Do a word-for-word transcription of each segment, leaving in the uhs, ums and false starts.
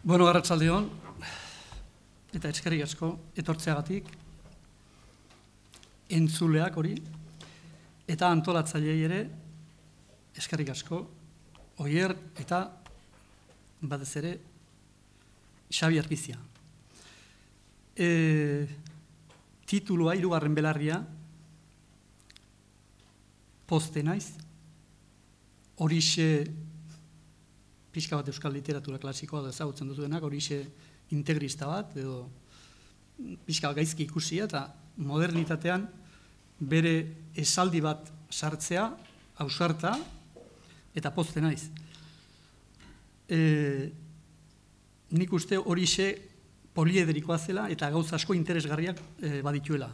Bueno, arratsaldeon, eta eskerrik asko etortzeagatik, entzuleak hori, eta antolatzaileei ere eskerrik asko, Oier eta batez ere Xabi Arpizia. E, titulua, hirugarren belarria, poste naiz, horixe pixka bat euskal literatura klasikoa da ezagutzen duzuenak, horixe integrista bat, edo pixka bat gaizki ikusia, eta modernitatean bere esaldi bat sartzea, ausarta, eta poste naiz. E, nik uste horixe poliederikoa zela, eta gauza asko interesgarriak e, badituela.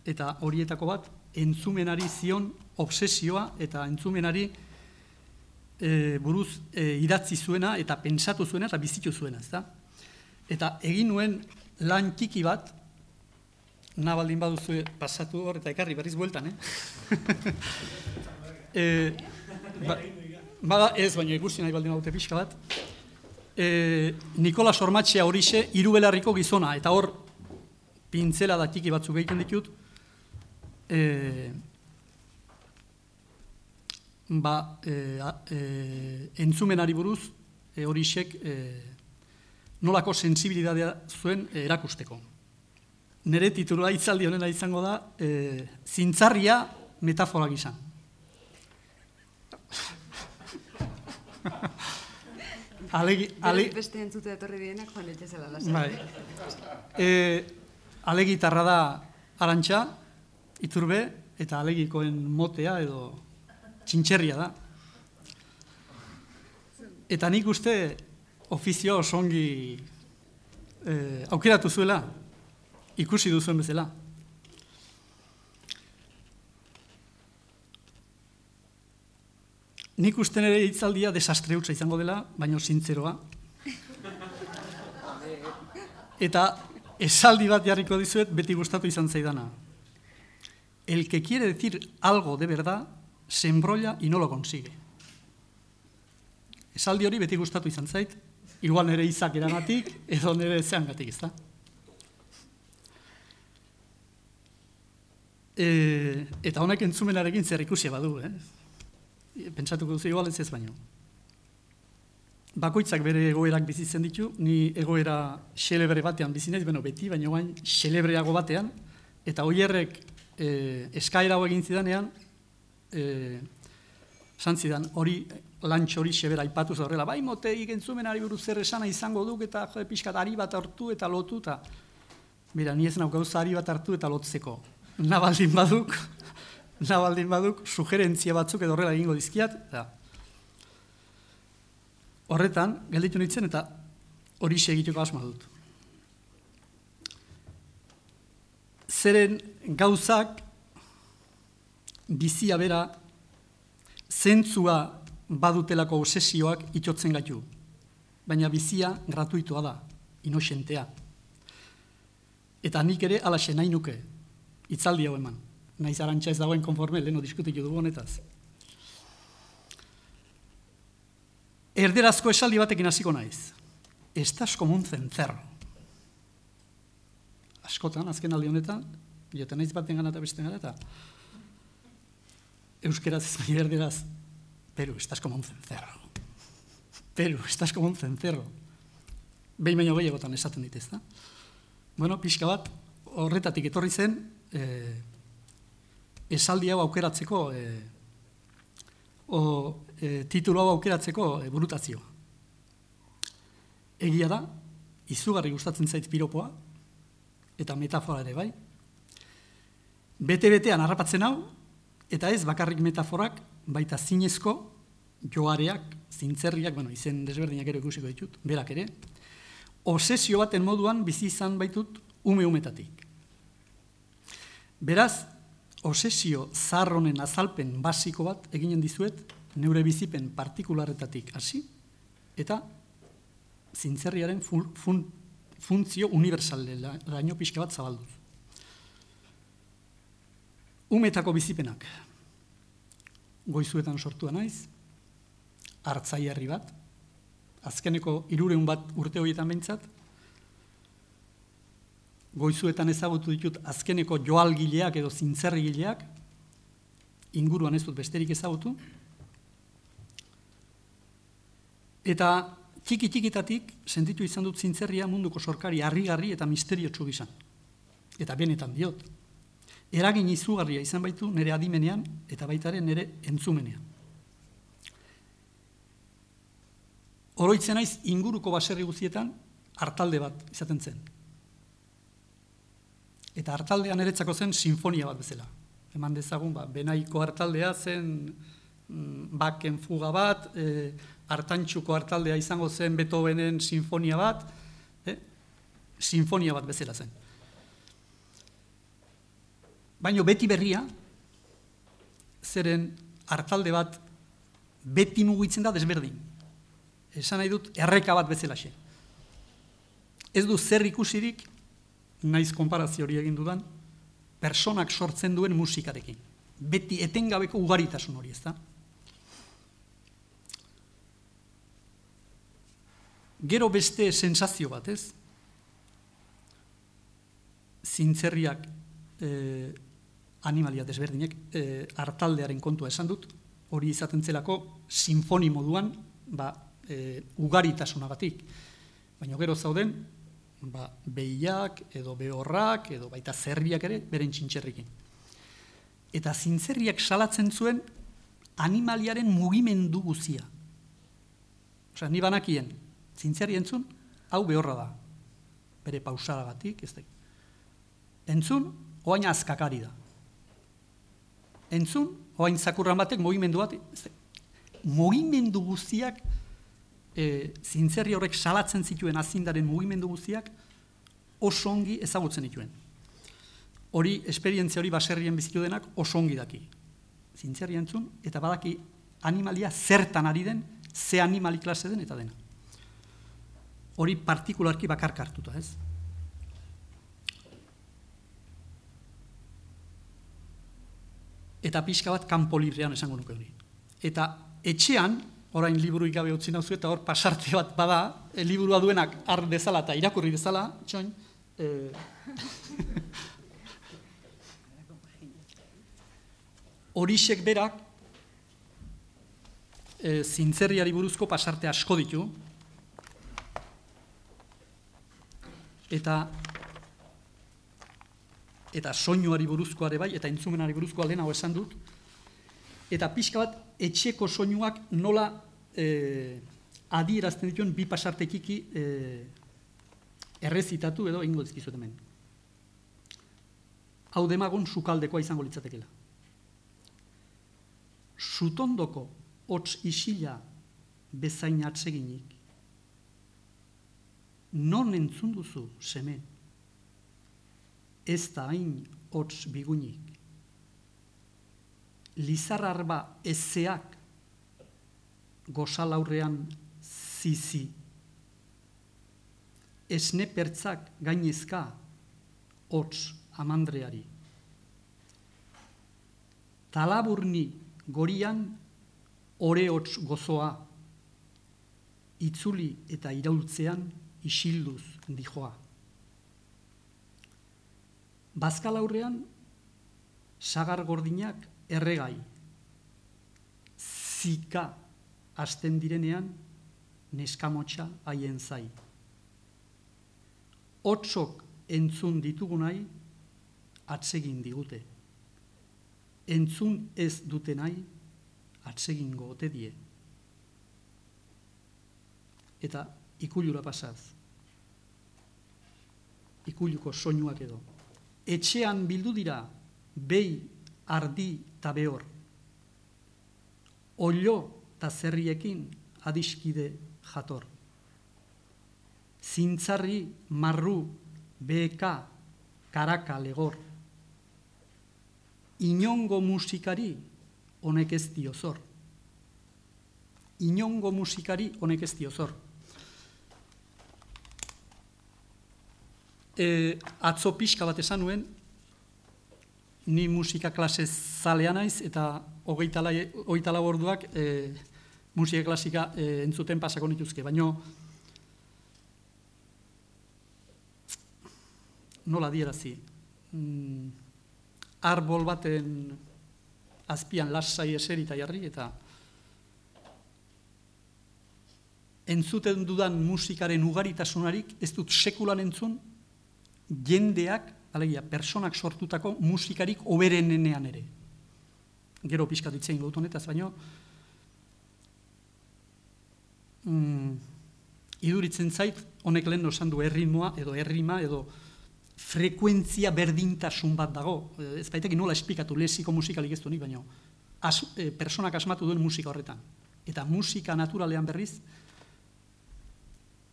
Eta horietako bat, entzumenari zion obsesioa, eta entzumenari E, buruz e, idatzi zuena eta pentsatu zuena eta bizitu zuena, ezta? Eta egin nuen lan txiki bat, nabaldin baduzu pasatu hor eta ekarri berriz bueltan, eh? e, ba, bada ez, baina ikusi nahi baldin badute pixka bat. E, Nikolas Ormatxea horixe Hirubelarriko gizona, eta hor pintzela da txiki batzuk egiten ditut, e, ba, e, e, entzumenari buruz e, horixek e, nolako sensibilidadea zuen e, erakusteko. Nere titulua hitzaldi honena izango da, e, zintzarria metafora gizan. Alegi, ale... Beste entzute etorri dienak joan etxezela lasa. Bai. E, alegitarra da Arantxa, Iturbe, eta alegikoen motea edo txintxerria da. Eta nik uste ofizio osongi eh, aukeratu zuela, ikusi duzuen bezala. Nik uste nire hitzaldia desastre hutsa izango dela, baina zintzeroa. Eta esaldi bat jarriko dizuet beti gustatu izan zaidana. El que quiere decir algo de verdad se embrolla y no lo consigue. Esaldi hori beti gustatu izan zait, igual nire izak eragatik, edo nire zeangatik, ez da? E, eta honek entzumenarekin zer ikusia badu, eh? Pentsatuko duzu igual ez ez baino. Bakoitzak bere egoerak bizitzen ditu, ni egoera xelebre batean bizinez, beno beti, baina guain xelebreago batean, eta Oierrek e, eskaera hau egin zidanean, Eh, santzidan, hori lantxo hori xebera ipatuz horrela, bai mote igentzumenari buruz zer esana izango duk eta jode pixkat ari bat hartu eta lotu eta mira, ni ez nauk gauza ari bat hartu eta lotzeko. Nabaldin baduk, nabaldin baduk, sugerentzia batzuk edo horrela egingo dizkiat, eta horretan, gelditu nintzen eta hori segituko asma dut. Zeren gauzak bizia bera, zentzua badutelako obsesioak itxotzen gaitu. Baina bizia gratuitua da, inoxentea. Eta nik ere alaxe nahi nuke, hitzaldi hau eman. Naiz Arantxa ez dagoen konforme, leheno diskutitu dugu honetaz. Erderazko esaldi batekin hasiko naiz. Estás como un cencerro. Askotan, azken aldi honetan, joten naiz baten gana eta besten gana eta euskeraz ez baina erderaz, Peru, estás como un cencerro. Peru, estás como un cencerro. Behin baino gehiagotan esaten dit, ez da? Bueno, pixka bat, horretatik etorri zen, eh, esaldi hau aukeratzeko, eh, o eh, titulu hau aukeratzeko eh, burutazioa. Egia da, izugarri gustatzen zait piropoa, eta metafora ere bai. Bete-betean harrapatzen hau, eta ez bakarrik metaforak, baita zinezko, joareak, zintzerriak, bueno, izen desberdinak ere ikusiko ditut, berak ere, obsesio baten moduan bizi izan baitut ume-umetatik. Beraz, obsesio zaharronen azalpen basiko bat eginen dizuet, neure bizipen partikularretatik hasi, eta zintzerriaren fun, fun, funtzio unibersaleraino pixka bat zabalduz. Umetako bizipenak, goizuetan sortua naiz, hartzaiarri bat, azkeneko hirurehun bat urte horietan behintzat, goizuetan ezagutu ditut azkeneko joalgileak edo zintzerrigileak, inguruan ez dut besterik ezagutu, eta txiki-txikitatik sentitu izan dut zintzerria munduko sorkari harrigarri eta misteriotsu gizan. Eta benetan diot. Eragin izugarria izan baitu nire adimenean eta baitaren nire entzumenean. Oroitzen naiz inguruko baserri guztietan hartalde bat izaten zen. Eta hartaldea niretzako zen sinfonia bat bezala. Eman dezagun, ba, Benaiko hartaldea zen mm, baken fuga bat, e, Artantxuko hartaldea izango zen Beethovenen sinfonia bat, eh? sinfonia bat bezala zen. Baina beti berria, zeren hartalde bat beti mugitzen da desberdin. Esan nahi dut, erreka bat bezalaxe. Ez du zer ikusirik, naiz konparazio hori egin dudan, personak sortzen duen musikarekin. Beti etengabeko ugaritasun hori, ez da? Gero beste sensazio bat, ez? Zintzerriak eh, animalia desberdinek eh, hartaldearen kontua esan dut, hori izaten zelako sinfoni moduan, ba, e, ugaritasunagatik. Baina gero zauden, ba, behiak, edo behorrak, edo baita zerriak ere, beren txintxerrikin. Eta zintzerriak salatzen zuen animaliaren mugimendu guzia. Osea, ni banakien, zintzerri entzun, hau behorra da. Bere pausadagatik, ez da. Entzun, oain azkakari da. Entzun, oain zakurran batek mugimendu bat, ez da. Mugimendu guztiak, e, zintzerri horrek salatzen zituen azindaren mugimendu guztiak, oso ongi ezagutzen dituen. Hori, esperientzia hori baserrien bizitu denak oso ongi daki. Zintzerri entzun, eta badaki animalia zertan ari den, ze animali klase den eta dena. Hori partikularki bakarka hartuta, ez? Eta pixka bat kanpo librean esango nuke hori. Eta etxean, orain liburuik gabe utzi nauzu, eta hor pasarte bat bada, e, liburua duenak har dezala eta irakurri dezala, txoin, e... horixek berak, e, zintzerriari buruzko pasarte asko ditu, eta eta soinuari buruzkoare bai, eta entzumenari buruzkoa lehenago esan dut, eta pixka bat etxeko soinuak nola e, adierazten dituen bi pasartekiki e, errezitatu edo ingo dizkizuet hemen. Hau demagun sukaldekoa izango litzatekela. Sutondoko hots isila bezain atseginik, non entzun duzu seme, ez da hain hots bigunik. Lizarrarba ezeak gozalaurrean zizi. Esne pertzak gainezka hots amandreari. Talaburni gorian ore hots gozoa. Itzuli eta iraultzean isilduz dijoa. Bazkalaurrean sagar gordinak erregai, zika hasten direnean neskamotxa haien zai. Hotsok entzun ditugunai atsegin digute. Entzun ez dutenai atsegingo ote die. Eta ikulura pasaz. Ikuluko soinuak edo. Etxean bildu dira behi, ardi eta behor. Ollo eta zerriekin adiskide jator. Zintzarri, marru, beheka, karaka, legor. Inongo musikari honek ez dio zor. Inongo musikari honek ez dio zor. E, atzo pixka bat esan nuen, ni musika klase zalea naiz, eta hogeita lau orduak e, musika klasika e, entzuten pasako nituzke, baino nola dierazi, mm, arbol baten azpian lasai eserita jarri, eta entzuten dudan musikaren ugaritasunarik ez dut sekulan entzun jendeak, alegia, personak sortutako musikarik oberenenean ere. Gero pixkat itzein dut honetaz, baino mm, iduritzen zait, honek lehen esan du erritmoa, edo errima, edo frekuentzia berdintasun bat dago. Ez baitekin nola esplikatu lexiko musikalik ez du nik, baino as, e, personak asmatu duen musika horretan. Eta musika naturalean berriz,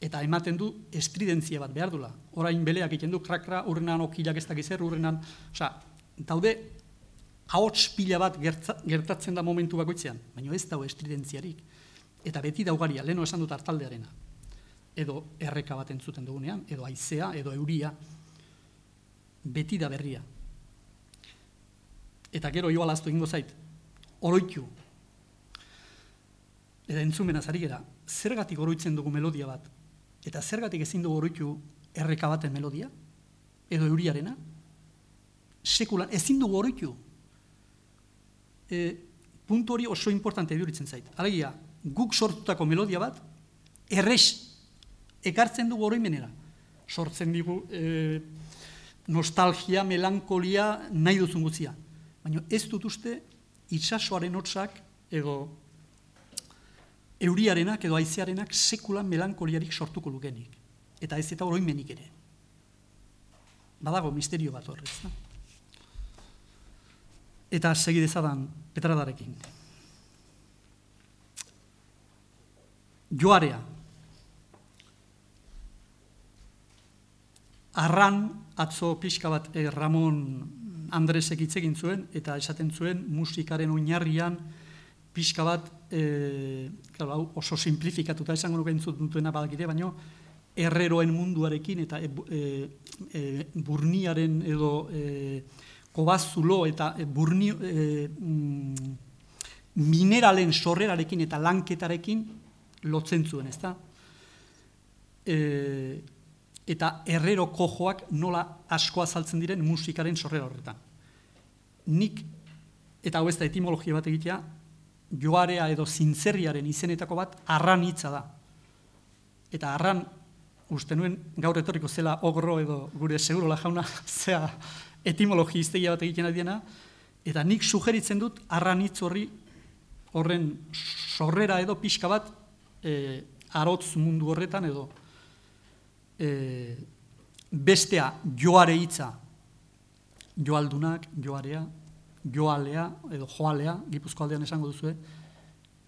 eta ematen du estridentzia bat behar dula. Orain beleak egiten du, krakra, urrenan okilak ez dakizer, urrenan, osea, daude ahots pila bat gertza, gertatzen da momentu bakoitzean, baina ez dago estridentziarik. Eta beti daugaria, leheno esan dut hartaldearena. Edo erreka bat entzuten dugunean, edo haizea, edo euria, beti da berria. Eta gero joa laztu egingo zait, oroitu. Eta entzumenaz ari gera, zergatik oroitzen dugu melodia bat, eta zergatik ezin dugu oroitu erreka baten melodia, edo euriarena, sekulan, ezin dugu oroitu. E, puntu hori oso importante eduritzen zait. Alegia, guk sortutako melodia bat, errex ekartzen dugu oroimenera. Sortzen digu e, nostalgia, melankolia, nahi duzun guzia. Baina ez dut uste itsasoaren hotzak, edo euriarenak edo haizearenak sekulan melankoliarik sortuko lukenik. Eta ez eta oroimenik ere. Badago misterio bat horrez. Da? Eta segi dezadan Petradarekin. Joarea. Arran atzo pixka bat eh, Ramon Andresek hitz egin zuen, eta esaten zuen musikaren oinarrian pixka bat, e, claro, oso simplifikatuta esango nuke entzutuena badakite, baino herreroen munduarekin eta e, e, burniaren edo e, kobazulo eta e, burni, e, mm, mineralen sorrerarekin eta lanketarekin lotzen zuen, ezta? E, eta herrero kojoak nola asko azaltzen diren musikaren sorrera horretan. Nik, eta hau ez da etimologia bat egitea, joarea edo zintzerriaren izenetako bat arran hitza da. Eta arran, uste nuen gaur etorriko zela ogro edo gure segurola jauna zea etimologia iztegia bat egiten adiena, eta nik sugeritzen dut arran hitz horri horren sorrera edo pixka bat e, arotz mundu horretan edo e, bestea joare hitza, joaldunak, joarea, joalea edo joalea, Gipuzko aldean esango duzue,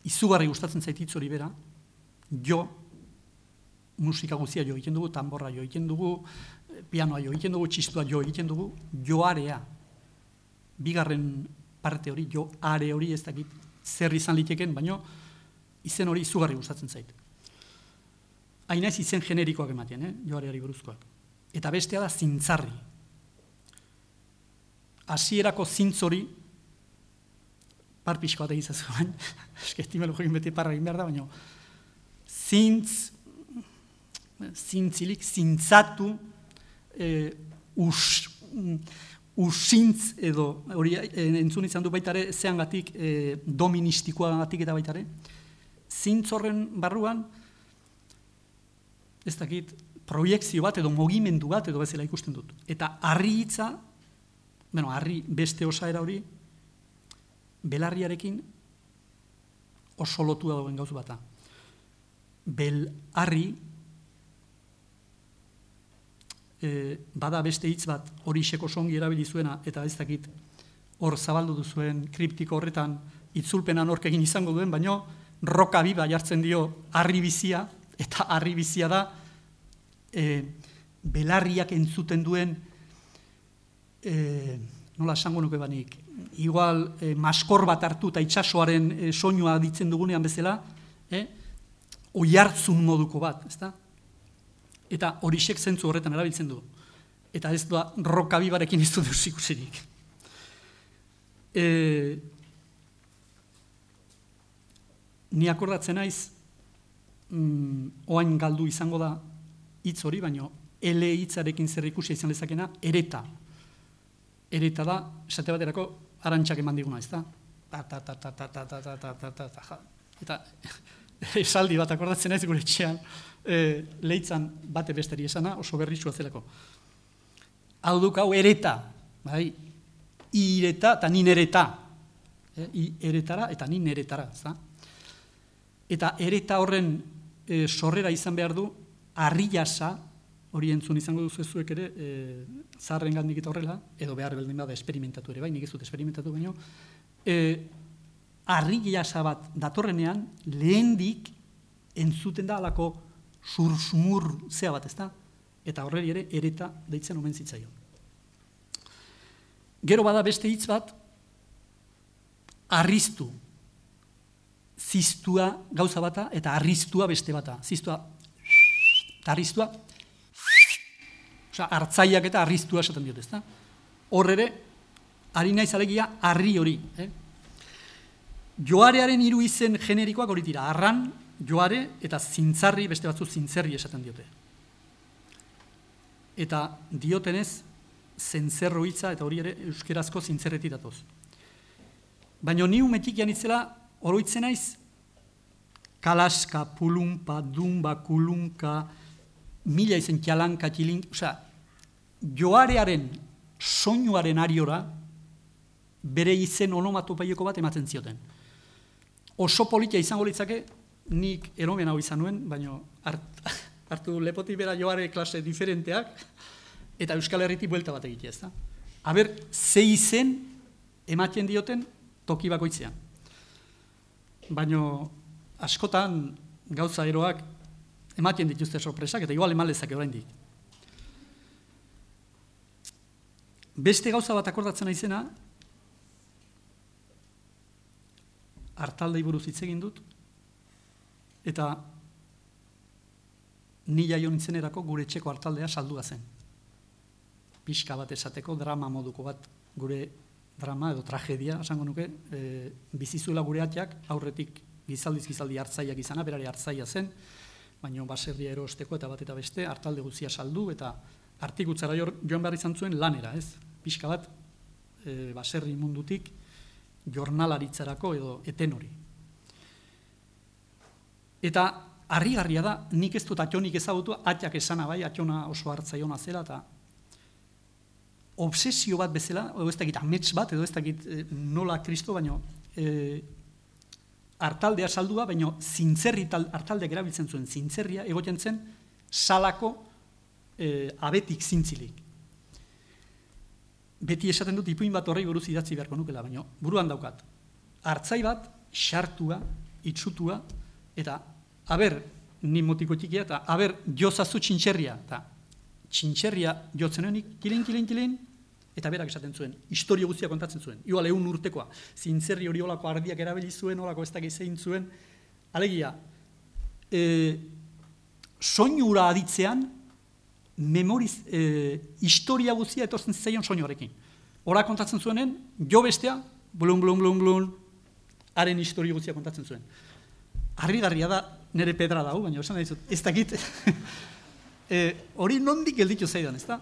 izugarri gustatzen zait hitz hori bera, jo, musika guztia jo egiten dugu, tamborra jo egiten dugu, pianoa jo egiten dugu, txistua jo egiten dugu, joarea. Bigarren parte hori, joare hori ez dakit zer izan liteken, baino izen hori izugarri gustatzen zait. Hainaiz izen generikoak ematen, eh? Joareari buruzkoak. Eta bestea da zintzarri. Hasierako zintz hori, parpixko bat egizazu bain, eskestimelo jokin beti parra egin behar da, baina zintz, zintzilik, zintzatu, e, us, usintz edo, hori entzun izan du baitare, zeangatik e, doministikoagatik eta baitare, zintz horren barruan, ez dakit, proiekzio bat edo mugimendu bat edo bezala ikusten dut. Eta harri hitza, bueno, harri beste osaera hori, belarriarekin oso lotua dagoen gauz bata. Belarri, e, bada beste hitz bat hori xeko songi erabili zuena, eta ez dakit hor zabaldu duzuen kriptiko horretan itzulpena nork egin izango duen, baino roka biba jartzen dio harri bizia, eta harri bizia da e, belarriak entzuten duen E, nola esango nuke banik, igual e, maskor bat hartu eta itsasoaren e, soinua ditzen dugunean bezala, e, oihartzun moduko bat, ezta? Eta horixek zentzu horretan erabiltzen du. Eta ez da rokabibarekin ez du deus ikusirik. E, ni akordatzen naiz, mm, oain galdu izango da hitz hori, baino ele hitzarekin zer ikusia izan lezakena, ereta. Ereta da, esate baterako, arantxak eman diguna, ez da? Ta, ta, ta, ta, ta, ta, ta, ta, ta, ta, ta, ta, ta. Eta esaldi bat akordatzen naiz gure etxean, e, leitzan bate besteri esana, oso berritsua zelako. Hau duk hau ereta, bai? Ireta eta nin ereta. E, I eretara eta nin eretara, ez da? Eta ereta horren e, sorrera izan behar du, harri jasa, hori entzun izango duzu zuek ere, e, zaharren gandik eta horrela, edo behar beldin bada esperimentatu ere, bai, nik ez dut esperimentatu baino, e, harri jasa bat datorrenean, lehendik entzuten da alako sursumur zea bat, ez da? Eta horreri ere ereta deitzen omen zitzaion. Gero bada beste hitz bat, arriztu. Ziztua gauza bata eta arriztua beste bata. Ziztua, eta arriztua, osea, hartzaiak eta arriztua esaten diote, ezta? Hor ere, ari naiz alegia harri hori. Eh? Joarearen hiru izen generikoak hori dira, arran, joare eta zintzarri, beste batzu zintzerri esaten diote. Eta diotenez, zentzerro hitza eta hori ere euskerazko zintzerretik datoz. Baina ni umetik janitzela, oroitzen naiz, kalaska, pulumpa, dumba, kulunka, mila izen kialanka, kilink, osea, joarearen, soinuaren ariora, bere izen onomatopaieko bat ematen zioten. Oso politia izango litzake, nik eromen hau izan nuen, baina hart, hartu lepotik bera joare klase diferenteak, eta Euskal Herritik buelta bat egitea, ez da? Aber, ze izen ematen dioten toki bakoitzean. Baina askotan gauza eroak ematen dituzte sorpresak, eta igual eman lezake oraindik. Beste gauza bat akordatzen naizena, hartaldei buruz hitz egin dut, eta ni jaio nintzenerako gure etxeko hartaldea saldua zen. Pixka bat esateko, drama moduko bat, gure drama edo tragedia, esango nuke, e, bizizuela gure atiak, aurretik gizaldiz gizaldi hartzaiak izana, berare hartzaia zen, baina baserria erosteko eta bat eta beste, hartalde guzia saldu, eta artikutzara joan behar izan zuen lanera, ez? Pixka bat, e, baserri mundutik, jornalaritzarako edo eten hori. Eta harrigarria da, nik ez dut atxonik ezagutu, atiak esana bai, atxona oso hartzaiona zela, eta obsesio bat bezala, edo ez dakit amets bat, edo ez dakit e, nola kristo, baino e, hartaldea saldua, baino zintzerri hartaldeak erabiltzen zuen zintzerria, egoten zen salako e, abetik zintzilik. Beti esaten dut ipuin bat horrei buruz idatzi beharko nukela, baino buruan daukat. Hartzai bat, xartua, itxutua, eta aber, ni motiko txikia, eta aber, jozazu txintxerria, eta txintxerria jotzen honik, kilin, kilin, kilin, eta berak esaten zuen, historio guztia kontatzen zuen, igual egun urtekoa, zintzerri hori olako ardiak erabili zuen, olako ez dakiz egin zuen, alegia, e, soinura aditzean, memoriz, e, historia guztia etortzen zeion soinuarekin. Hora kontatzen zuenen, jo bestea, blun, blun, blun, blun, haren historia guztia kontatzen zuen. Harrigarria da, nire pedra dago, baina esan dizut, ez dakit, e, hori nondik gelditu zaidan, ez da?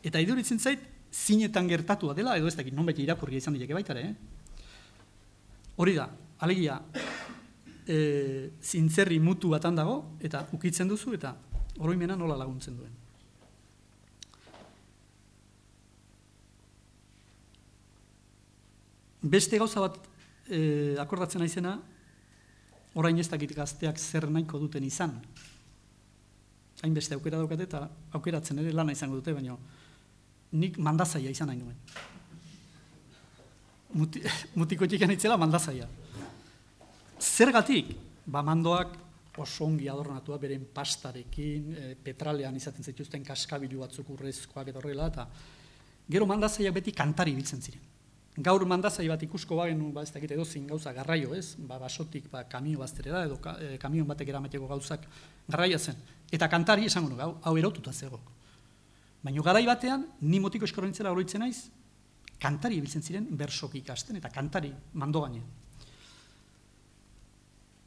Eta iduritzen zait, zinetan gertatua dela, edo ez dakit, non beti irakurria izan dileke baitare, eh? Hori da, alegia, e, zintzerri mutu batan dago, eta ukitzen duzu, eta oroimena nola laguntzen duen. Beste gauza bat e, akordatzen naizena, orain ez dakit gazteak zer nahiko duten izan. Hainbeste aukera daukate eta aukeratzen ere lana izango dute, baina nik mandazaia izan nahi nuen. Muti, mutiko txikan itzela mandazaia. Zergatik? Ba mandoak oso ongi adornatua beren pastarekin, e, petralean izaten zituzten kaskabilu batzuk urrezkoak eta horrela, eta gero mandazaiak beti kantari biltzen ziren. Gaur mandazai bat ikusko bagenu, ba ez dakit edozin gauza garraio, ez? Ba basotik ba kamio bazterera edo ka, e, kamion batek eramateko gauzak garraia zen. Eta kantari esango nuke, hau, hau erotuta zego. Baina garai batean, ni motiko eskorontzela oroitzen naiz, kantari ibiltzen ziren bersoki ikasten eta kantari mando gainean.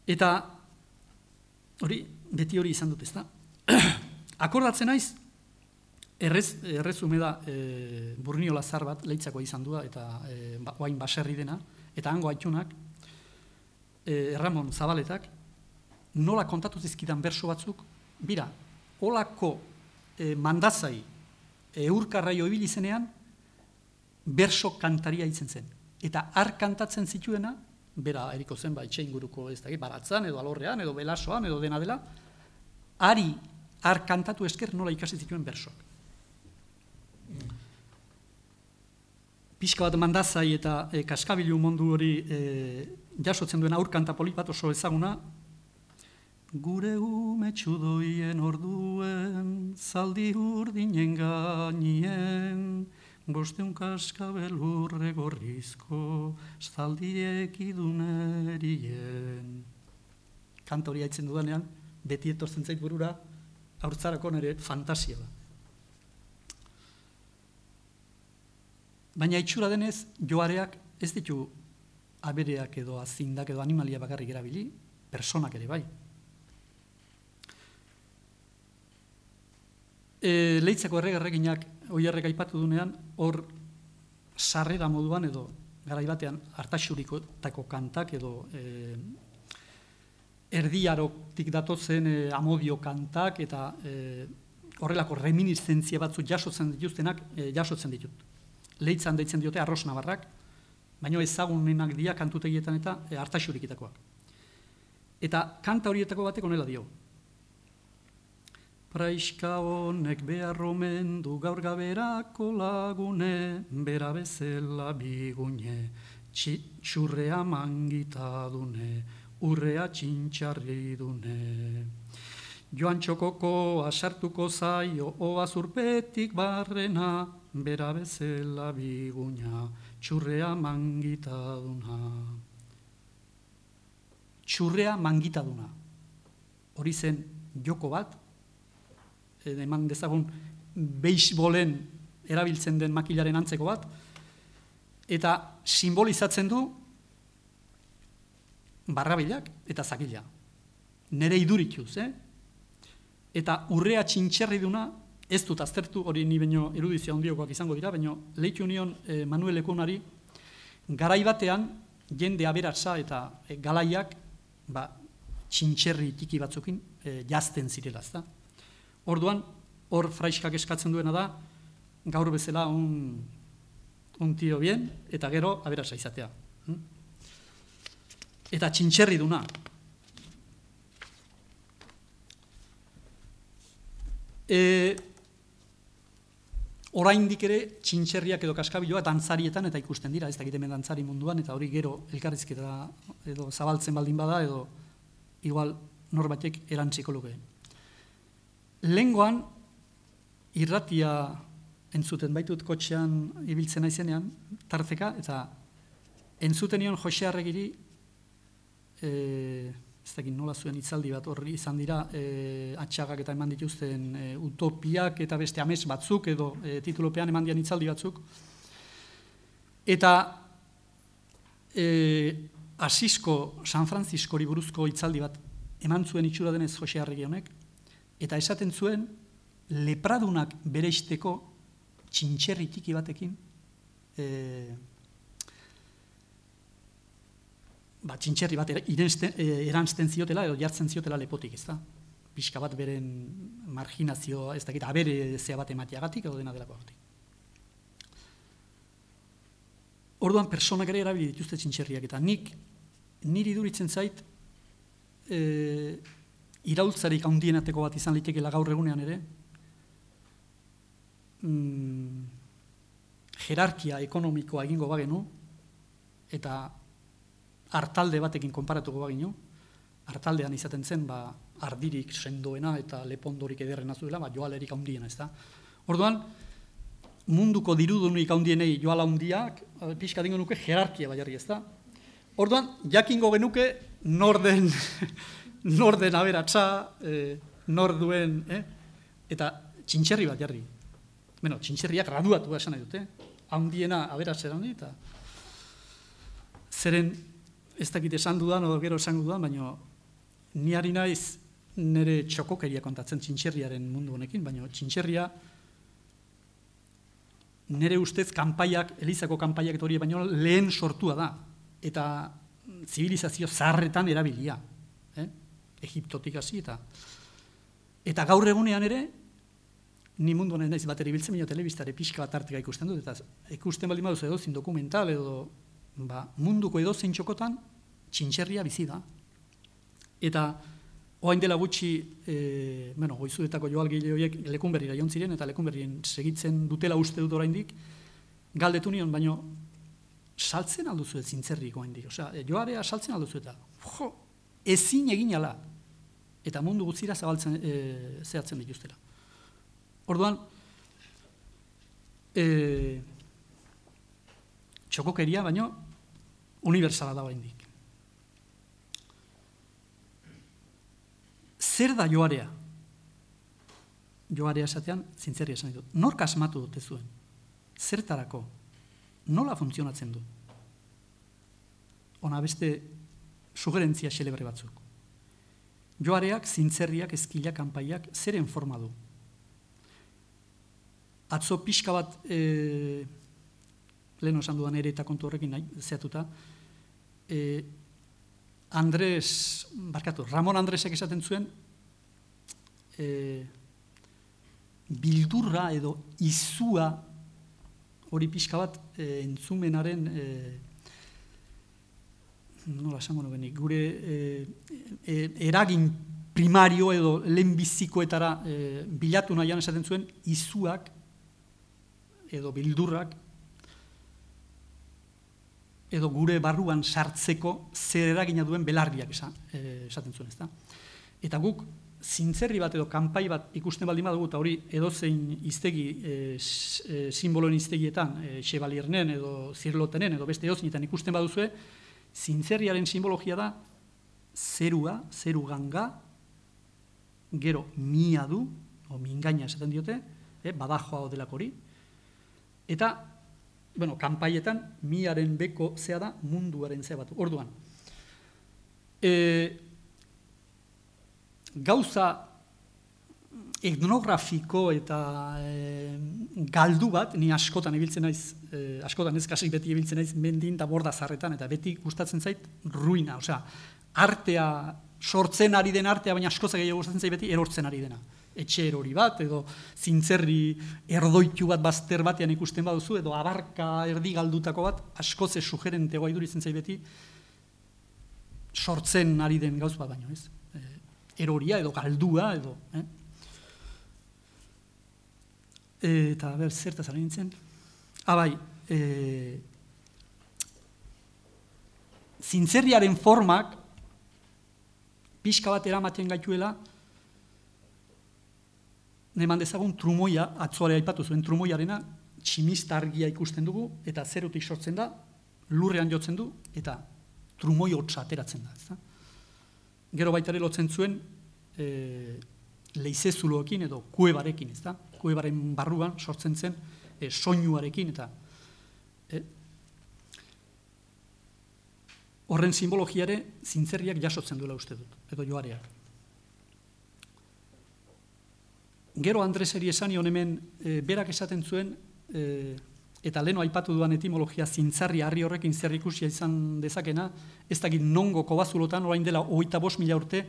Eta hori, beti hori izan dut, ezta? Akordatzen naiz, errez, errezume da e, Burniola zar bat, leitzako izan dua, eta e, ba, oain baserri dena, eta hango aitunak, e, Ramon Zabaletak, nola kontatu zizkidan berso batzuk, bira, olako e, mandazai eurkarraio ibili zenean, berso kantaria itzen zen. Eta har kantatzen zituena, bera eriko zen, ba, itxe inguruko ez da, baratzan, edo alorrean, edo belasoan, edo dena dela, ari har kantatu esker nola ikasi zituen bersoak. Pixka bat mandazai eta e, kaskabilu mundu hori e, jasotzen duen aur kanta polit bat oso ezaguna, gure ume txudoien orduen, zaldi urdinen gainien, bosteun kaskabelurre gorrizko, zaldiek idunerien. Kanta hori haitzen dudanean, beti etortzen zait burura, haurtzarako nire fantasia da. Baina itxura denez, joareak ez ditu abereak edo azindak edo animalia bakarrik erabili, personak ere bai. E, Leitzako erregerreginak oierrek aipatu dunean, hor sarrera moduan edo garaibatean hartaxurikotako kantak edo e, erdiarotik datotzen e, amodio kantak eta e, horrelako reminiszentzia batzu jasotzen dituztenak e, jasotzen ditut. Leitzan deitzen diote arroz nabarrak, baina ezagunenak dira kantutegietan eta e, hartaxurikitakoak. Eta kanta horietako batek honela dio. Praiska honek behar omen du gaur gaberako lagune, bera bezala bigune, txurrea mangita dune, urrea txintxarri dune. Joan txokoko asartuko zaio, oa zurpetik barrena, bera bezala biguna, txurrea mangita duna. Txurrea mangita duna. Hori zen joko bat, eman dezagun beisbolen erabiltzen den makilaren antzeko bat, eta simbolizatzen du barrabilak eta zakila. Nere idurituz, eh? Eta urrea txintxerri duna, ez dut aztertu, hori ni baino erudizia ondiokoak izango dira, baino leitu nion eh, Manuel Ekunari, garai batean jende aberatsa eta eh, galaiak ba, txintxerri tiki batzukin eh, jazten zirela, ezta? Orduan, hor fraiskak eskatzen duena da, gaur bezala un, un tio bien, eta gero aberatsa izatea. Eta txintxerri duna. E, oraindik ere txintxerriak edo kaskabiloa dantzarietan eta ikusten dira, ez dakit hemen dantzari munduan, eta hori gero elkarrizketa edo zabaltzen baldin bada, edo igual norbatek erantziko luke. Lengoan, irratia entzuten baitut kotxean ibiltzen naizenean, tarteka, eta entzuten nion Jose Arregiri, e, ez dakit nola zuen hitzaldi bat horri izan dira, e, atxagak eta eman dituzten e, utopiak eta beste ames batzuk, edo e, titulopean eman dian hitzaldi batzuk. Eta e, Asisko San Franciscori buruzko hitzaldi bat eman zuen itxura denez Jose Arregi honek, eta esaten zuen, lepradunak bereizteko txintxerri tiki batekin, e, ba, txintxerri bat eranzten ziotela, edo jartzen ziotela lepotik, ez da? Pixka bat beren marginazioa, ez dakit, abere zea bat ematiagatik, edo dena delako agatik. Orduan, personak ere erabili dituzte txintxerriak, eta nik, niri duritzen zait, e, iraultzarik handienateko bat izan litekela gaur egunean ere, mm, jerarkia ekonomikoa egingo bagenu, eta hartalde batekin konparatuko bagenu, hartaldean izaten zen, ba, ardirik sendoena eta lepondorik ederrena zuela, ba, joalerik handiena, ez da. Orduan, munduko dirudunik handienei joala handiak, pixka dingo nuke jerarkia baiarri, ez da. Orduan, jakingo genuke nor den nor den aberatsa, eh, nor duen, eh? Eta txintxerri bat jarri. Bueno, txintxerriak graduatu esan nahi dute, handiena aberatsa handi, eta zeren ez dakit esan dudan, o gero esango dudan, baina ni ari naiz nire txokokeria kontatzen txintxerriaren mundu honekin, baina txintxerria nire ustez kanpaiak, Elizako kanpaiak eta hori baino lehen sortua da, eta zibilizazio zaharretan erabilia, eh? Egiptotik hasi eta eta gaur egunean ere, ni mundu honen naiz bat ere biltzen, baina telebistare pixka bat arteka ikusten dut, eta ikusten baldin baduz edozein dokumental edo ba, munduko edozein txokotan txintxerria bizi da. Eta orain dela gutxi, e, bueno, goizuetako joalgile horiek Lekunberrira joan ziren, eta Lekunberrien segitzen dutela uste dut oraindik, galdetu nion, baino saltzen alduzu ez zintzerrik oraindik, osea, joarea saltzen alduzu eta, jo, ezin egin ala, eta mundu guztira zabaltzen, e, zehatzen dituztela. Orduan, e, txokokeria, baino, unibertsala da oraindik. Zer da joarea? Joarea esatean, zintzerria esan ditut. Nork asmatu dute zuen? Zertarako? Nola funtzionatzen du? Ona beste sugerentzia xelebre batzuk. Joareak, zintzerriak, ezkilak, kanpaiak, zeren forma du? Atzo pixka bat, e, lehen esan dudan ere eta kontu horrekin nahi, zehatuta, e, Andres, barkatu, Ramon Andresek esaten zuen, e, bildurra edo izua hori pixka bat e, entzumenaren, e, nola esango nukenik, gure e, e, eragin primario edo lehenbizikoetara e, bilatu nahian esaten zuen, izuak edo bildurrak edo gure barruan sartzeko zer eragina duen belarriak esan, e, esaten zuen, ezta? Eta guk zintzerri bat edo kanpai bat ikusten baldin badugu, eta hori edozein iztegi, e, e, simboloen iztegietan, e, Chevaliernen edo Zirlotenen edo beste edozeinitan ikusten baduzue, zintzerriaren simbologia da zerua, zeru ganga, gero mia du, o mingaina esaten diote, e, badajoa odelako hori, eta bueno, kanpaietan miaren beko zea da munduaren zea bat. Orduan, e, gauza etnografiko eta e, galdu bat, ni askotan ibiltzen naiz, e, askotan ez kasik beti ibiltzen naiz mendin eta borda zarretan, eta beti gustatzen zait ruina, osea, artea, sortzen ari den artea, baina askoza gehiago gustatzen zait beti erortzen ari dena. Etxe erori bat, edo zintzerri erdoitu bat bazter batean ikusten baduzu, edo abarka erdi galdutako bat, askoze sugerentegoa iduritzen zait beti, sortzen ari den gauz bat baino, ez? E, eroria edo galdua, edo, eh? Eta, ber, zertaz ari nintzen? Abai, e, zintzerriaren formak, pixka bat eramaten gaituela, neman dezagun trumoia, atzoare aipatu zuen trumoiarena, tximista argia ikusten dugu, eta zerutik sortzen da, lurrean jotzen du, eta trumoi hotza ateratzen da. Ezta? Gero baitare lotzen zuen, e, leizezuloekin edo kuebarekin, ezta? Kuebaren barruan sortzen zen e, soinuarekin, eta e, horren simbologiare zintzerriak jasotzen duela uste dut, edo joareak. Gero Andreseri esan nion hemen e, berak esaten zuen, e, eta leno aipatu duan etimologia zintzarri harri horrekin zer ikusia izan dezakena, ez dakit nongo kobazulotan, orain dela hogeita bost mila urte,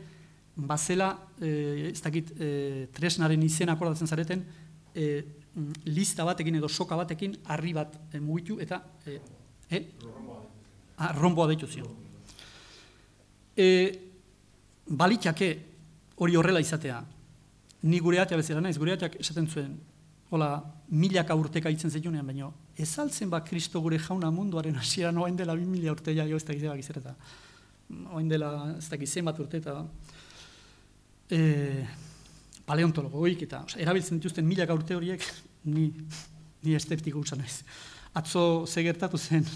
bazela, e, ez dakit e, tresnaren izena akordatzen zareten, e, lista batekin edo soka batekin harri bat e, mugitu, eta e, e? Ah, romboa deitu zion. E, balitake hori horrela izatea, ni gure atea bezala naiz, gure ateak esaten zuen, hola, milaka urteka itzen zetunean, baina ez altzen ba Kristo gure jauna munduaren hasieran oain dela bi mila urte ja, jo ez dakiz ebak izereta. Oain dela ez dakiz zenbat urte eta e, paleontologoik eta oza, erabiltzen dituzten milaka urte horiek, ni, ni eszeptiko usan naiz. Atzo ze gertatu zen,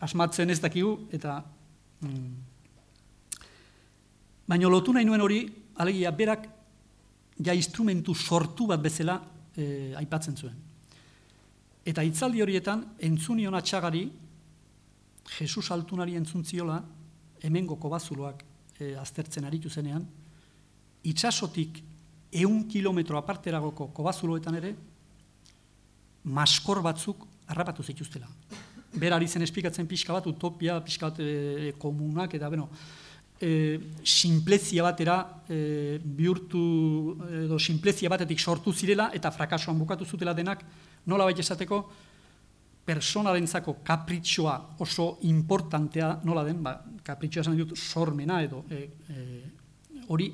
asmatzen ez dakigu, eta mm, baina lotu nahi nuen hori, alegia berak ja instrumentu sortu bat bezala e, aipatzen zuen. Eta hitzaldi horietan, entzunion atxagari, Jesus altunari entzuntziola, hemengo kobazuloak e, aztertzen aritu zenean, itsasotik ehun kilometro aparteragoko kobazuloetan ere, maskor batzuk harrapatu zituztela. Berari zen esplikatzen pixka bat, utopia, pixka bat e, komunak, eta beno, e, sinplezia batera e, bihurtu, edo sinplezia batetik sortu zirela, eta frakasoan bukatu zutela denak, nola baita esateko, personarentzako kapritxoa oso importantea nola den, ba, kapritxoa esan dut sormena edo e, e, hori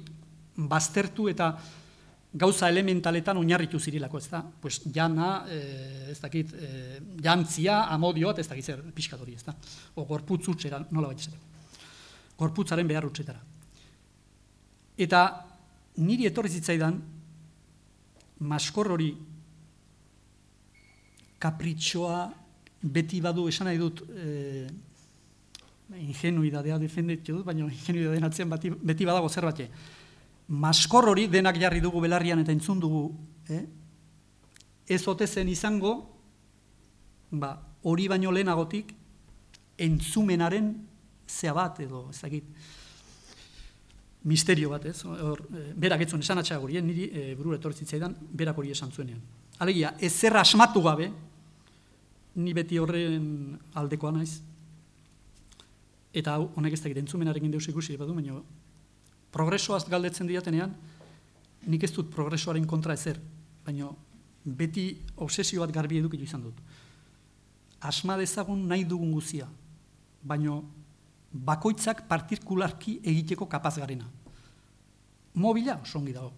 baztertu eta gauza elementaletan oinarritu zirilako, ez da? Pues jana, e, ez dakit, e, jantzia, amodio bat, ez dakit zer pixkat hori, ez da? O gorputz utxera, nola baita esateko. Gorputzaren behar utxetara. Eta niri etorri zitzaidan, maskor hori kapritxoa beti badu esan nahi dut e, ingenuidadea defenditu dut, baina ingenuidadeen atzean beti, beti badago zerbait. Maskor hori denak jarri dugu belarrian eta entzun dugu, eh? Ez ote zen izango, ba, hori baino lehenagotik entzumenaren zea bat edo ezagit misterio bat, ez? Hor, e, berak etzuen esan atxaga hori, niri e, burura etorri zitzaidan, berak hori esan zuenean. Alegia, ezer asmatu gabe, ni beti horren aldekoa naiz, eta honek ez dakit entzumenarekin deus ikusi badu, baina progresoaz galdetzen diatenean, nik ez dut progresoaren kontra ezer, baina beti obsesio bat garbi edukitu izan dut. Asma dezagun nahi dugun guzia, baina bakoitzak partikularki egiteko kapaz garena. Mobila oso ongi dago.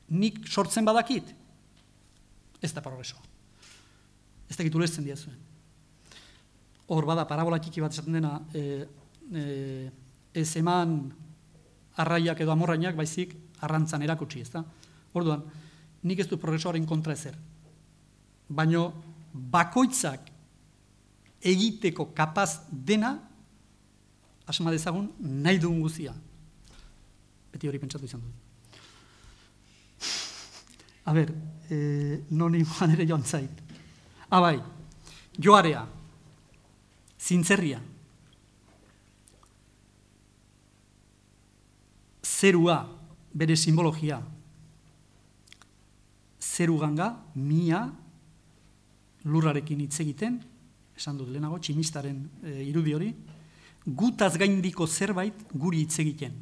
Nik sortzen badakit, ez da progresoa. Ez dakit ulertzen diazuen. Hor bada, parabola txiki bat esaten dena, e, e, ez eman arraiak edo amorrainak, baizik arrantzan erakutsi, ez da? Orduan, nik ez du progresoaren kontra ezer. Baina bakoitzak egiteko kapaz dena, asma dezagun nahi dugun guzia. Beti hori pentsatu izan dut. A ber, e, noni moan ere joan zait. Abai, joarea, zintzerria, zerua, bere simbologia, zeru ganga, mia, lurrarekin hitz egiten, esan dut lehenago, tximistaren e, irudi hori, gutaz gaindiko zerbait guri hitz egiten.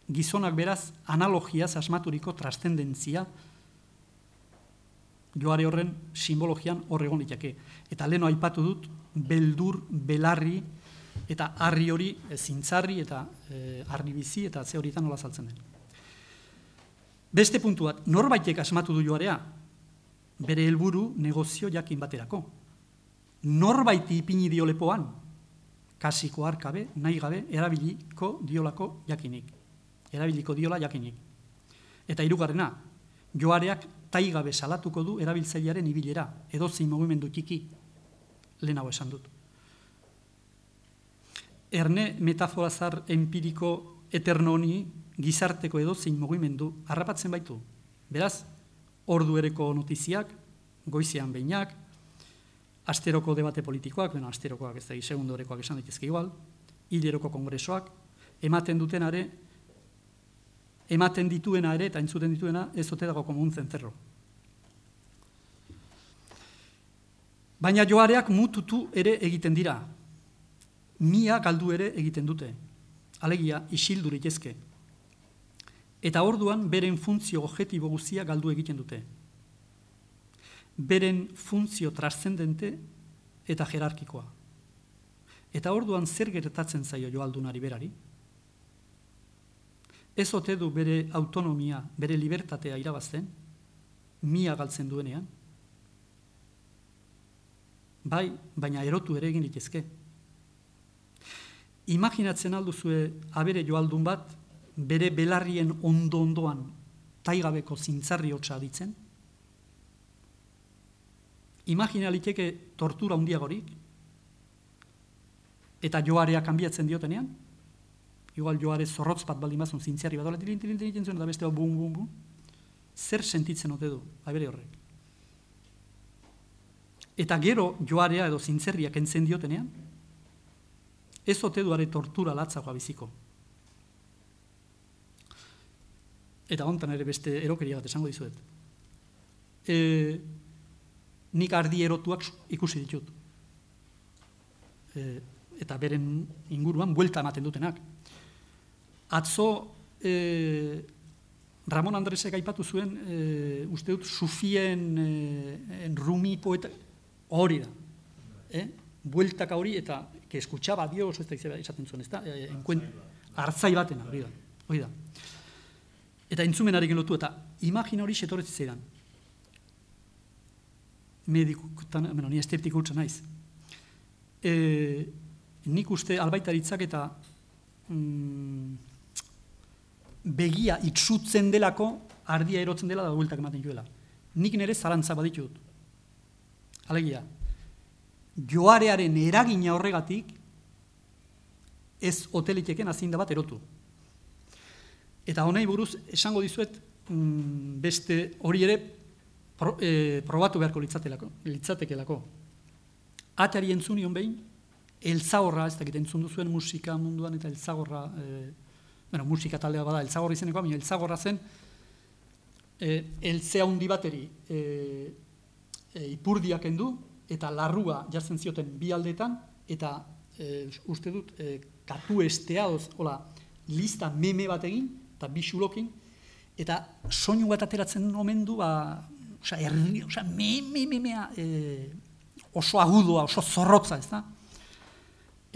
Gizonak beraz, analogiaz asmaturiko trastendentzia, joare horren simbologian horregon ditake. Eta leheno aipatu dut, beldur, belarri, eta harri hori, e, zintzarri, eta e, harri bizi, eta ze horietan nola saltzen den. Beste puntu bat, norbaitek asmatu du joarea, bere helburu negozio jakin baterako. Norbaiti ipini dio lepoan, kasiko arkabe, nahi gabe, erabiliko diolako jakinik. Erabiliko diola jakinik. Eta hirugarrena, joareak taigabe salatuko du erabiltzailearen ibilera, edozein mugimendu txiki, lehenago esan dut. Erne metaforazar empiriko eterno honi gizarteko edozein mugimendu harrapatzen baitu. Beraz, ordu ereko notiziak, goizean behinak, asteroko debate politikoak, bueno, asterokoak ez da, segundorekoak esan daitezke igual, hileroko kongresoak, ematen dutenare, ematen dituena ere, eta entzuten dituena, ez ote dago komun zentzerro. Baina joareak mututu ere egiten dira. Mia galdu ere egiten dute. Alegia, isildu litezke. Eta orduan, beren funtzio objektibo guztia galdu egiten dute. Beren funtzio trascendente eta jerarkikoa. Eta orduan zer gertatzen zaio joaldunari berari? Ez ote du bere autonomia, bere libertatea irabazten, mia galtzen duenean? Bai, baina erotu ere egin litezke. Imaginatzen alduzue abere joaldun bat, bere belarrien ondo-ondoan taigabeko zintzarri hotza ditzen? Imagina liteke tortura handiagorik, eta joarea kanbiatzen diotenean? Igual joare zorrotz bat baldin bazun zintzarri bat, tilin, tilin, tilin, tilin, eta beste bum, bum, bum. Zer sentitzen ote du, abere horrek? Eta gero joarea edo zintzerriak entzen diotenean, ez ote duare tortura latzagoa biziko. eta hontan ere beste erokeria bat esango dizuet. E, nik ardi erotuak ikusi ditut. E, eta beren inguruan buelta ematen dutenak. Atzo e, Ramon Andresek aipatu zuen, e, uste dut, Sufien e, Rumi poeta hori da. Eh? Bueltaka hori, eta que escuchaba Dios, ez da izaten zuen, ez da? E, enkuen, hartzai batena, hori da. Hori da. Eta entzumenarekin lotu, eta imagina hori setorretzi zeidan. Medikutan, bueno, ni estetik hutsa naiz. E, nik uste albaitaritzak eta mm, begia itsutzen delako, ardia erotzen dela da bueltak ematen joela. Nik nire zalantza baditut. Alegia, joarearen eragina horregatik ez hoteliteken azinda bat erotu. Eta honei buruz esango dizuet mm, beste hori ere pro, e, probatu beharko litzatekelako. Atari entzunion behin, eltzagorra, ez dakit entzun duzuen musika munduan eta eltzagorra, e, bueno, musika taldea bada, eltzagorra izenekoa, baina eltzagorra zen, e, eltzea hundi bateri e, e, ipurdiak endu, eta larrua jartzen zioten bi aldeetan, eta e, uste dut, e, katu esteadoz, hola, lista meme bat egin, eta bi xulokin, eta soinu bat ateratzen omen du, ba, oza, erri, oza, me, me, me, mea, e, oso agudoa, oso zorrotza, ez da?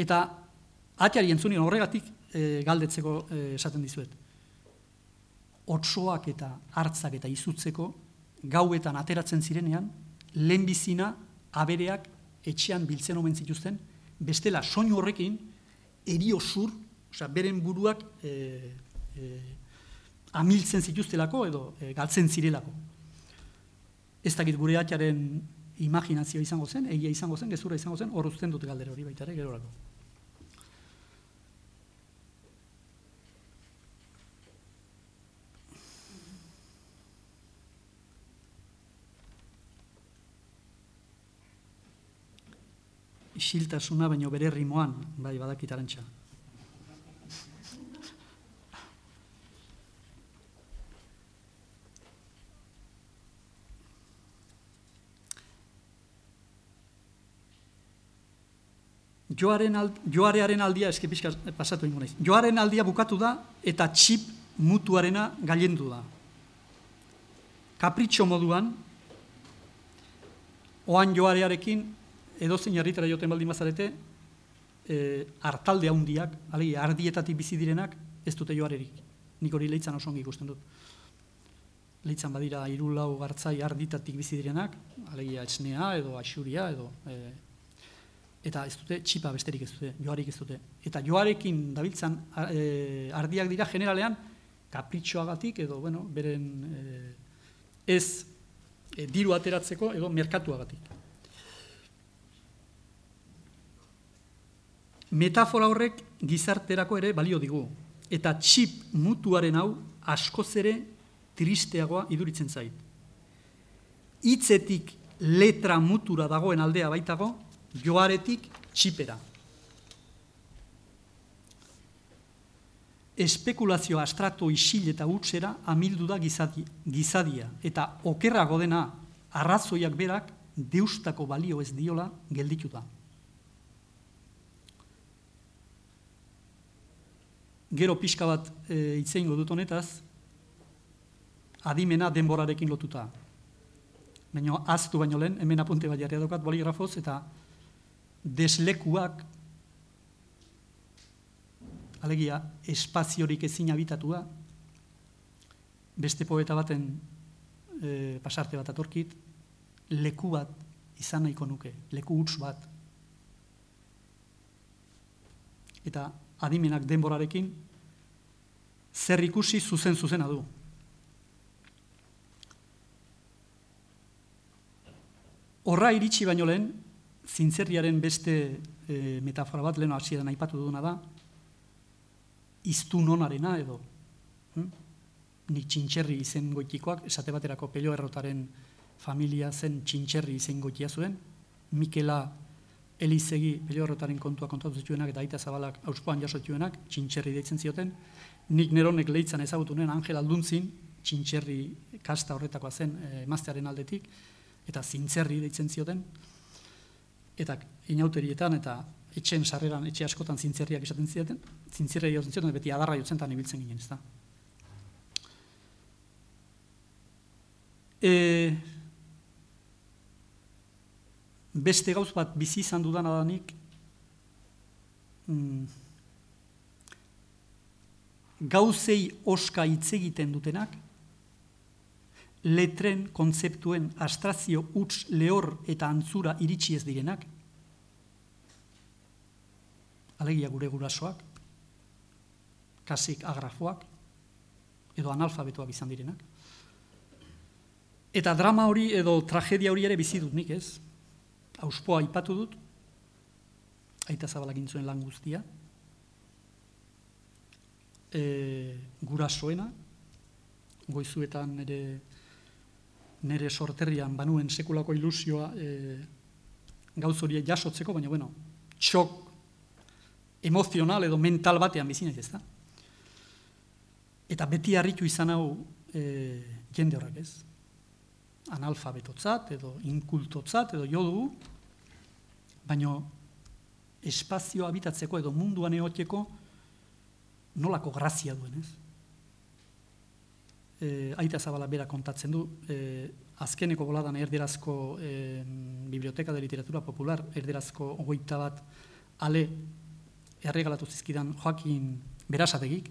Eta atiari entzunion horregatik e, galdetzeko e, esaten dizuet. Otsoak eta hartzak eta izutzeko gauetan ateratzen zirenean, lehenbizina abereak etxean biltzen omen zituzten, bestela soinu horrekin erio zur, oza, beren buruak e, e, amiltzen zituztelako edo e, galtzen zirelako. Ez dakit gure atiaren imaginazioa izango zen, egia izango zen, gezurra izango zen, hor uzten dut galdera hori baita ere, gerorako. Isiltasuna baino bere rimoan, bai badakit Arantxa. Joaren ald, joarearen aldia, eski pixka pasatu ingo naiz. Joaren aldia bukatu da eta txip mutuarena gailendu da. Kapritxo moduan, oan joarearekin, edozein herritara joten baldin bazarete, e, hartalde handiak, alegia, ardietatik bizi direnak, ez dute joarerik. Nik hori leitzan oso ongi ikusten dut. Leitzan badira hiru lau gartzai arditatik bizi direnak, alegia etxnea edo axuria edo... E, eta ez dute txipa besterik ez dute, joarik ez dute. Eta joarekin dabiltzan e, ardiak dira generalean kapritxoagatik edo, bueno, beren e, ez e, diru ateratzeko edo merkatuagatik. Metafora horrek gizarterako ere balio digu. Eta txip mutuaren hau askoz ere tristeagoa iduritzen zait. Hitzetik letra mutura dagoen aldea baitago, joaretik txipera. Espekulazio astrato isil eta hutsera amildu da gizadi, gizadia, eta okerrago dena arrazoiak berak deustako balio ez diola gelditu da. Gero pixka bat e, itzeingo dut honetaz, adimena denborarekin lotuta. Baina aztu baino lehen, hemen apunte bat jarria daukat boligrafoz, eta deslekuak, alegia, espaziorik ezin habitatua, beste poeta baten e, pasarte bat atorkit, leku bat izan nahiko nuke, leku huts bat. Eta adimenak denborarekin, zer ikusi zuzen-zuzena du. Horra iritsi baino lehen, zintzerriaren beste e, metafora bat, leheno hasieran aipatu duguna da, iztun onarena edo, hm? Nik txintxerri izen goitikoak, esate baterako Pello Errotaren familia zen txintxerri izen goitia zuen, Mikela Elizegi Beliorrotaren kontua kontatu zituenak eta Aita Zabalak Auspoan jaso zituenak, Txintxerri deitzen zioten. Nik neronek leitzan ezagutunen Angel Alduntzin, Txintxerri kasta horretakoa zen emaztearen aldetik, eta Zintzerri deitzen zioten. Eta inauterietan eta etxen sarreran, etxe askotan zintzerriak esaten zieten, zintzerriak jotzen zioten, beti adarra jotzen eta ibiltzen ginen, ez da. E, beste gauz bat bizi izan dudan adanik, mm, gauzei oska hitz egiten dutenak, letren, kontzeptuen, abstrakzio, huts, lehor eta antzura iritsi ez direnak, alegia gure gurasoak, kasik agrafoak, edo analfabetoak izan direnak. Eta drama hori edo tragedia hori ere bizi dut nik, ez? Auspoa aipatu dut, Aita Zabalak egin zuen lan guztia, e, gurasoena, goizuetan nire, nire sorterrian banuen sekulako ilusioa e, gauz hori jasotzeko, baina bueno, txok emozional edo mental batean bizinez, ez da? Eta beti harritu izan hau e, jende horrek, ez? Analfabetotzat edo inkultotzat edo jo dugu, baina espazio habitatzeko edo munduan egoteko nolako grazia duen, ez? E, Aita Zabala bera kontatzen du, e, azkeneko boladan erderazko e, Biblioteka de Literatura Popular, erderazko hogeita bat ale erregalatu zizkidan Joakin Berasategik,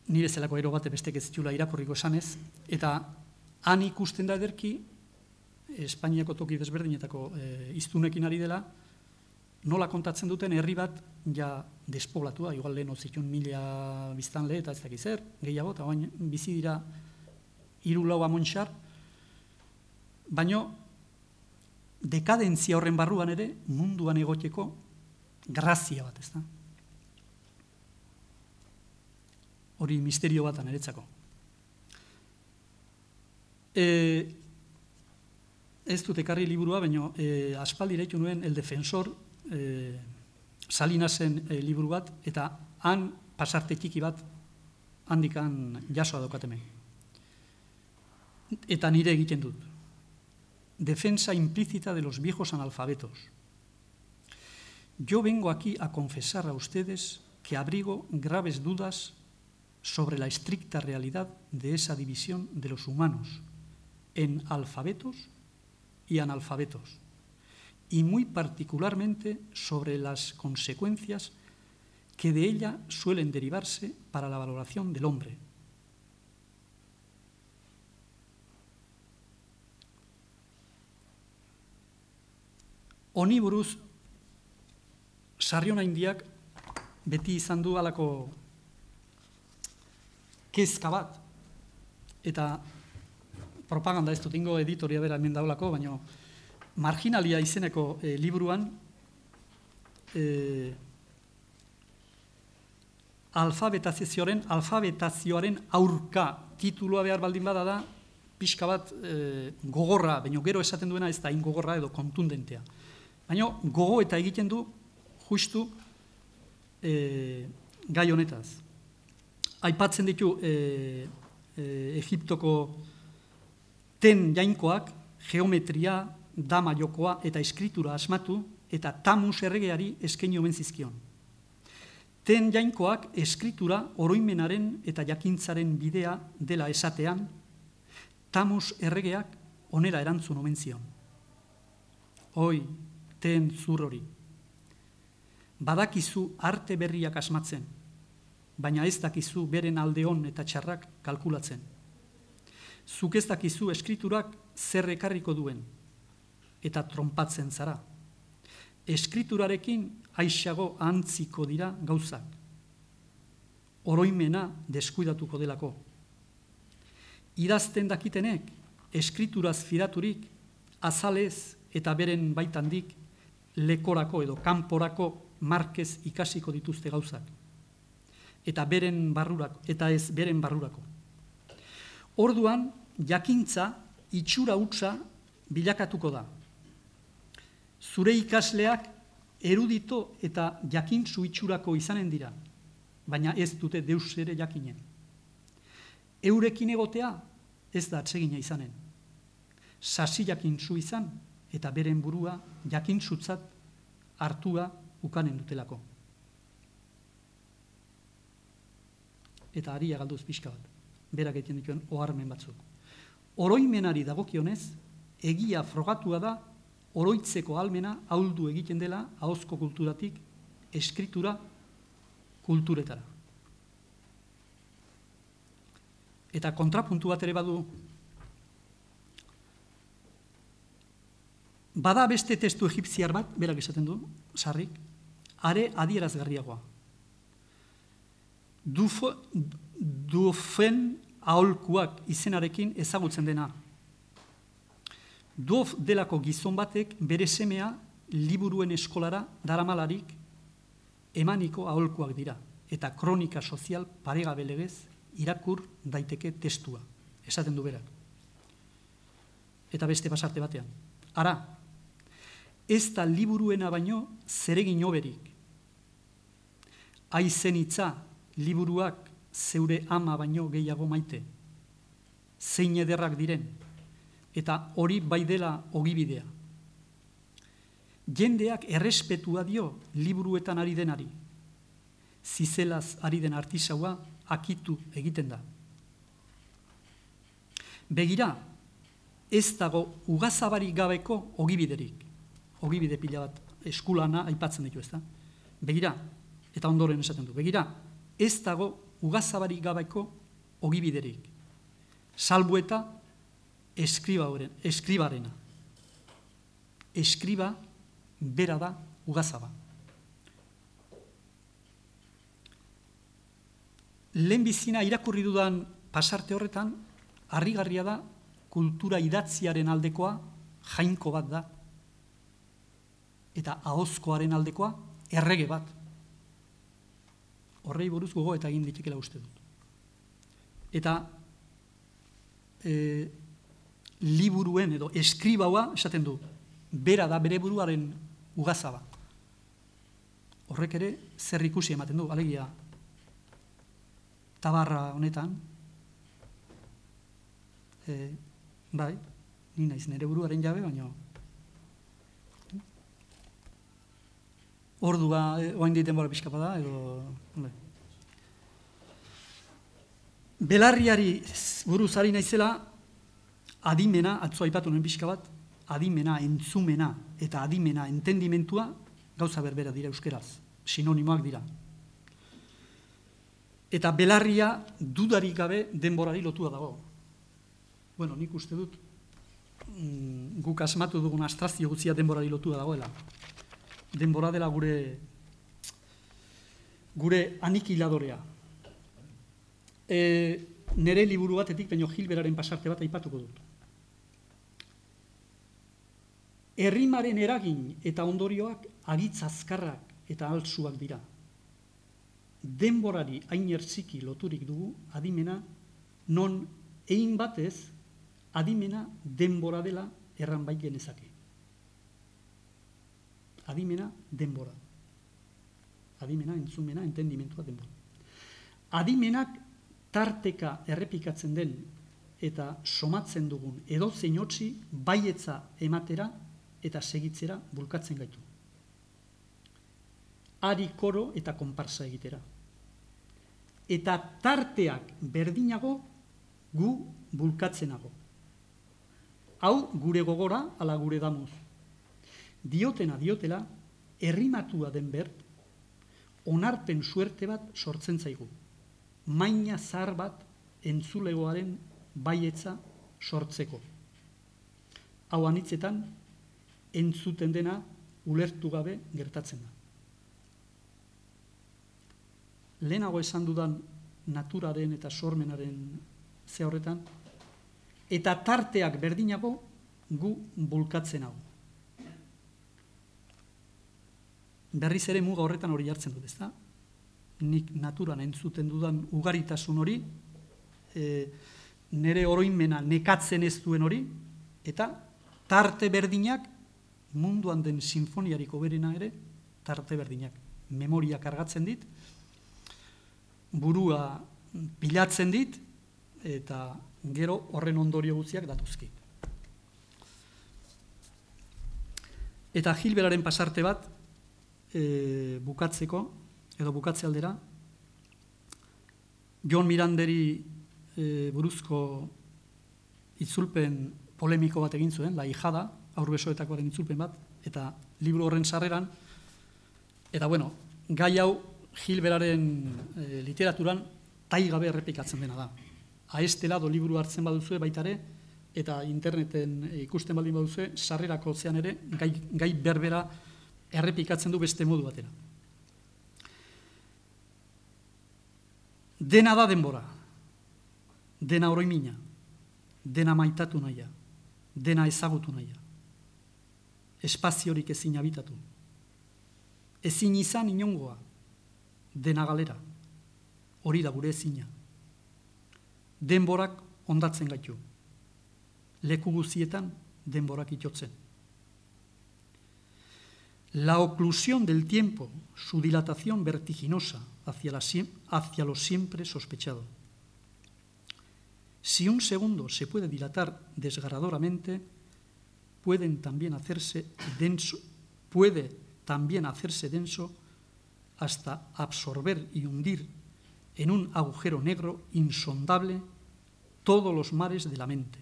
nire zelako ero bate bestek ez zitula irakurriko esanez, eta han ikusten da ederki, Espainiako toki desberdinetako e, iztunekin ari dela, nola kontatzen duten herri bat ja despoblatua, igual lehen zituen mila biztanle eta ez dakiz zer, gehiago, eta baina bizi dira hiru lau amontxar, baino dekadentzia horren barruan ere munduan egoteko grazia bat, ez da? Hori misterio batan eretzako. E, ez dut ekarri liburua, baina e, aspaldi iraitzu nuen El Defensor e, Salinasen e, liburu bat, eta han pasarte txiki bat handikan jasoa daukatemen. Eta nire egiten dut. Defensa implícita de los viejos analfabetos. Yo vengo aquí a confesar a ustedes que abrigo graves dudas sobre la estricta realidad de esa división de los humanos en alfabetos y analfabetos, y muy particularmente sobre las consecuencias que de ella suelen derivarse para la valoración del hombre. Honi buruz, Sarriona Indiak beti izan du halako kezka bat, eta propaganda ez dut ingo editoria bera hemen daulako, baina Marginalia izeneko e, liburuan e, alfabetazioaren, alfabetazioaren aurka titulua behar baldin bada da, pixka bat e, gogorra, baina gero esaten duena ez da ingogorra edo kontundentea. Baina gogo eta egiten du justu e, gai honetaz. Aipatzen ditu e, e, Egiptoko ten jainkoak, geometria, dama jokoa eta eskritura asmatu eta Tamus erregeari eskaini omen zizkion. Ten jainkoak eskritura oroimenaren eta jakintzaren bidea dela esatean, Tamus erregeak onera erantzun omen zion. Oi, ten zur hori. Badakizu arte berriak asmatzen, baina ez dakizu beren aldeon eta txarrak kalkulatzen. Zuk ez dakizu eskriturak zer ekarriko duen, eta tronpatzen zara. Eskriturarekin aixago antziko dira gauzak. Oroimena deskuidatuko delako. Idazten dakitenek, eskrituraz fidaturik, azalez eta beren baitandik, lekorako edo kanporako markez ikasiko dituzte gauzak. Eta beren barrurako, eta ez beren barrurako. Orduan, jakintza itxura hutsa bilakatuko da. zure ikasleak erudito eta jakintsu itxurako izanen dira, baina ez dute deus ere jakinen. Eurekin egotea ez da atsegina izanen. Sasi jakintsu izan eta beren burua jakintsutzat hartua ukanen dutelako. Eta aria galduz pixka bat, berak egiten dituen oharmen batzuk. Oroimenari dagokionez, egia frogatua da, oroitzeko ahalmena ahuldu egiten dela ahozko kulturatik eskritura kulturetara. Eta kontrapuntu bat ere badu, bada beste testu egipziar bat, berak esaten du, sarrik, are adierazgarriagoa. Dufo, dufen aholkuak izenarekin ezagutzen dena. Duof delako gizon batek bere semea liburuen eskolara daramalarik emaniko aholkuak dira, eta kronika sozial paregabe legez irakur daiteke testua, esaten du berak. Eta beste pasarte batean. Ara, ez da liburuena baino zeregin hoberik. Aizen hitza liburuak zeure ama baino gehiago maite, zein ederrak diren, eta hori bai dela ogibidea. Jendeak errespetua dio liburuetan ari denari, zizelaz ari den artisaua akitu egiten da. Begira, ez dago ugazabari gabeko ogibiderik, ogibide pila bat eskulana aipatzen ditu, ez da? Begira, eta ondoren esaten du, begira, ez dago ugazabari gabeko ogibiderik, salbu eta eskribarena. Eskriba bera da ugazaba. Lehenbizina irakurri dudan pasarte horretan, harrigarria da kultura idatziaren aldekoa jainko bat da, eta ahozkoaren aldekoa errege bat. Horrei buruz gogo eta egin ditekela uste dut. Eta e, liburuen edo eskribaua esaten du, bera da bere buruaren ugazaba. Horrek ere zer ikusi ematen du, alegia tabarra honetan, e, bai, ni naiz nire buruaren jabe, baina ordua, oain diten bora pixka bada, edo... Bai. Belarriari buruz ari naizela, adimena, atzo aipatu nuen pixka bat, adimena, entzumena eta adimena entendimentua gauza berbera dira euskeraz, sinonimoak dira. Eta belarria dudarik gabe denborari lotua dago. Bueno, nik uste dut, mm, guk asmatu dugun astrazio guztia denborari lotua dagoela. Denbora dela gure gure anikiladorea. E, nere liburu batetik, baino Gilberaren pasarte bat aipatuko dut. Errimaren eragin eta ondorioak agitz azkarrak eta altsuak dira. Denborari hain ertziki loturik dugu adimena, non egin batez adimena denbora dela erran bai genezake. Adimena denbora. Adimena, entzumena, entendimentua denbora. Adimenak tarteka errepikatzen den eta somatzen dugun edozein hotzi baietza ematera eta segitzera bulkatzen gaitu. Ari koro eta konparsa egitera. Eta tarteak berdinago gu bulkatzenago. Hau gure gogora ala gure damuz. Diotena diotela, errimatua den bert, onarpen suerte bat sortzen zaigu. Maina zahar bat entzulegoaren baietza sortzeko. Hau anitzetan, entzuten dena ulertu gabe gertatzen da. Lehenago esan dudan naturaren eta sormenaren ze horretan, eta tarteak berdinago gu bulkatzen hau. Berriz ere muga horretan hori jartzen dut, ezta? Nik naturan entzuten dudan ugaritasun hori, e, nire oroimena nekatzen ez duen hori, eta tarte berdinak munduan den sinfoniarik hoberena ere, tarte berdinak. Memoria kargatzen dit, burua pilatzen dit, eta gero horren ondorio guztiak datuzki. Eta Gilberaren pasarte bat, e, bukatzeko, edo bukatze aldera, John Miranderi e, buruzko itzulpen polemiko bat egin zuen, La hijada, haurbesoetakoaren itzulpen bat, eta liburu horren sarreran, eta bueno, gai hau Gilberaren e, literaturan taigabe errepikatzen dena da. A este lado liburu hartzen baduzue baitare, eta interneten ikusten baldin baduzue, sarrerako zean ere, gai, gai berbera errepikatzen du beste modu batera. Dena da denbora, dena oroimina, dena maitatu nahia, dena ezagutu nahia, espaziorik ezin habitatu, ezin izan inongoa, dena galera, hori da gure ezina. Denborak ondatzen gaitu, leku guzietan denborak itotzen. La oclusión del tiempo, su dilatación vertiginosa hacia, la, hacia lo siempre sospechado. Si un segundo se puede dilatar desgarradoramente, pueden también hacerse denso, puede también hacerse denso hasta absorber y hundir en un agujero negro insondable todos los mares de la mente.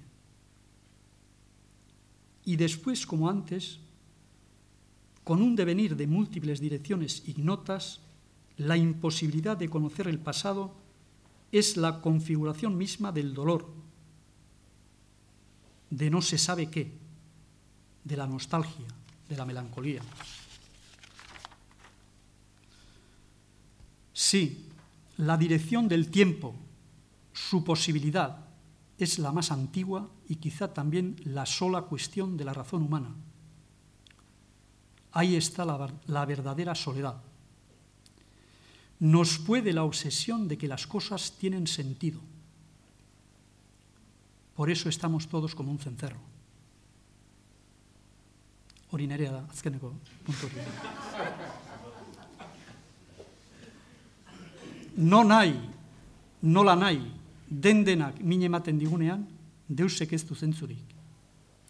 Y después, como antes, con un devenir de múltiples direcciones ignotas, la imposibilidad de conocer el pasado es la configuración misma del dolor, de no se sabe qué, de la nostalgia, de la melancolía. Sí, la dirección del tiempo, su posibilidad, es la más antigua y quizá también la sola cuestión de la razón humana. Ahí está la, la verdadera soledad. Nos puede la obsesión de que las cosas tienen sentido. Por eso estamos todos como un cencerro. Hori nerea da, azkeneko puntu hori. No nahi, nola nahi, den denak min ematen digunean, deusek ez du zentzurik.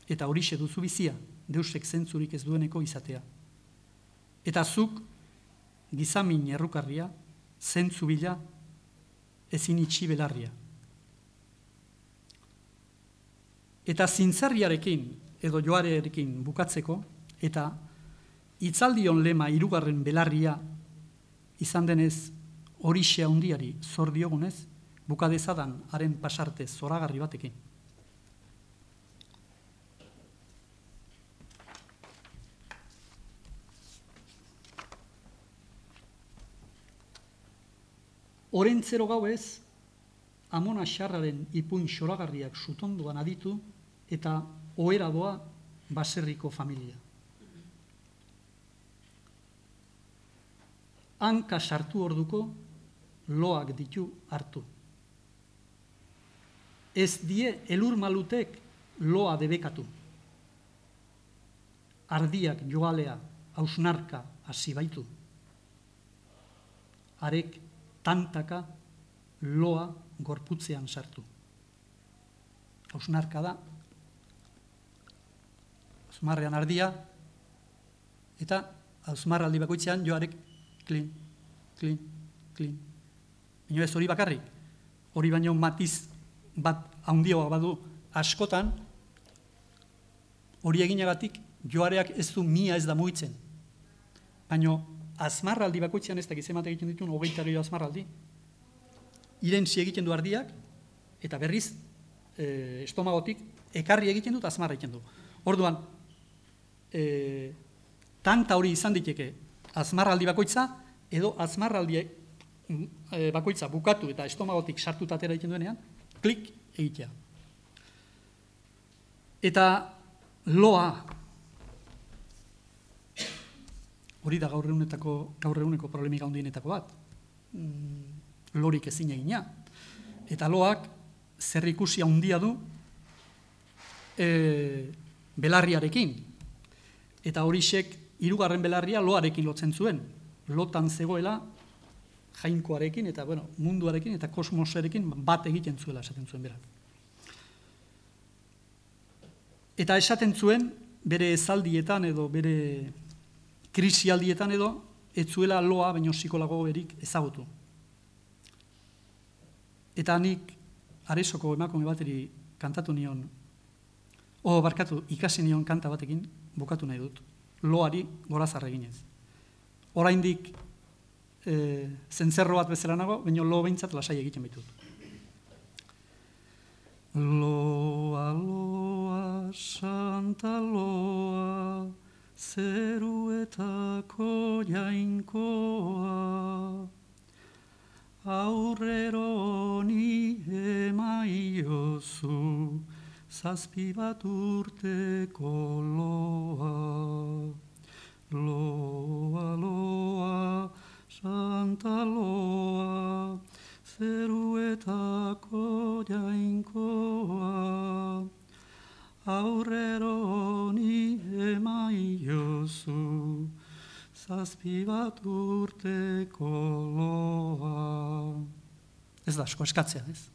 Eta horixe duzu bizia, deusek zentzurik ez dueneko izatea. Eta zuk, gizamin errukarria, zentzu bila, ezin itxi belarria. Eta zintzarriarekin, edo joarearekin bukatzeko, eta hitzaldion lema hirugarren belarria izan denez, horixe handiari zor diogunez, bukadezadan haren pasarte zoragarri batekin. Orentzero gauez, Amona Xarraren ipuin xoragarriak sutonduan aditu eta ohera doa baserriko familia. Hanka sartu orduko loak ditu hartu. Ez die elur malutek loa debekatu. Ardiak joalea hausnarka hasi baitu. Arek tantaka loa gorputzean sartu. Hausnarka da, hausmarrean ardia, eta hausmarraldi bakoitzean joarek klin, klin, klin. Baina ez hori bakarrik, hori baino matiz bat handioa badu askotan, hori eginagatik joareak ez du mia ez da mugitzen. Baina azmarraldi bakoitzean ez da gizemate egiten dituen hogeita gehiago azmarraldi. Irentzi egiten du ardiak, eta berriz e, estomagotik ekarri egiten dut azmarra egiten du. Orduan, e, tanta hori izan diteke azmarraldi bakoitza, edo azmarraldi e, bakoitza bukatu eta estomagotik sartuta atera egiten duenean, klik egitea. Eta loa, hori da gaur egunetako, gaur eguneko problemika handienetako bat, lorik ezin egina. Eta loak zer ikusi handia du e, belarriarekin. eta horixek hirugarren belarria loarekin lotzen zuen. Lotan zegoela jainkoarekin eta bueno, munduarekin eta kosmosarekin bat egiten zuela esaten zuen berak. Eta esaten zuen bere ezaldietan edo bere krisialdietan edo ez zuela loa baino psikologo berik ezagutu. Eta nik Aresoko emakume bateri kantatu nion, o barkatu, ikasi nion kanta batekin bukatu nahi dut, loari gorazarra eginez. Oraindik e, zentzerro bat bezala nago, baina lo behintzat lasai egiten baitut. Loa, loa, santa loa, zeruetako jainkoa, aurrero ni emaiozu, zazpi bat urteko loa. Loa, loa, santa loa, zeruetako jainkoa, aurrero ni emaiozu, zazpi bat urteko loa. Ez da asko eskatzea, ez?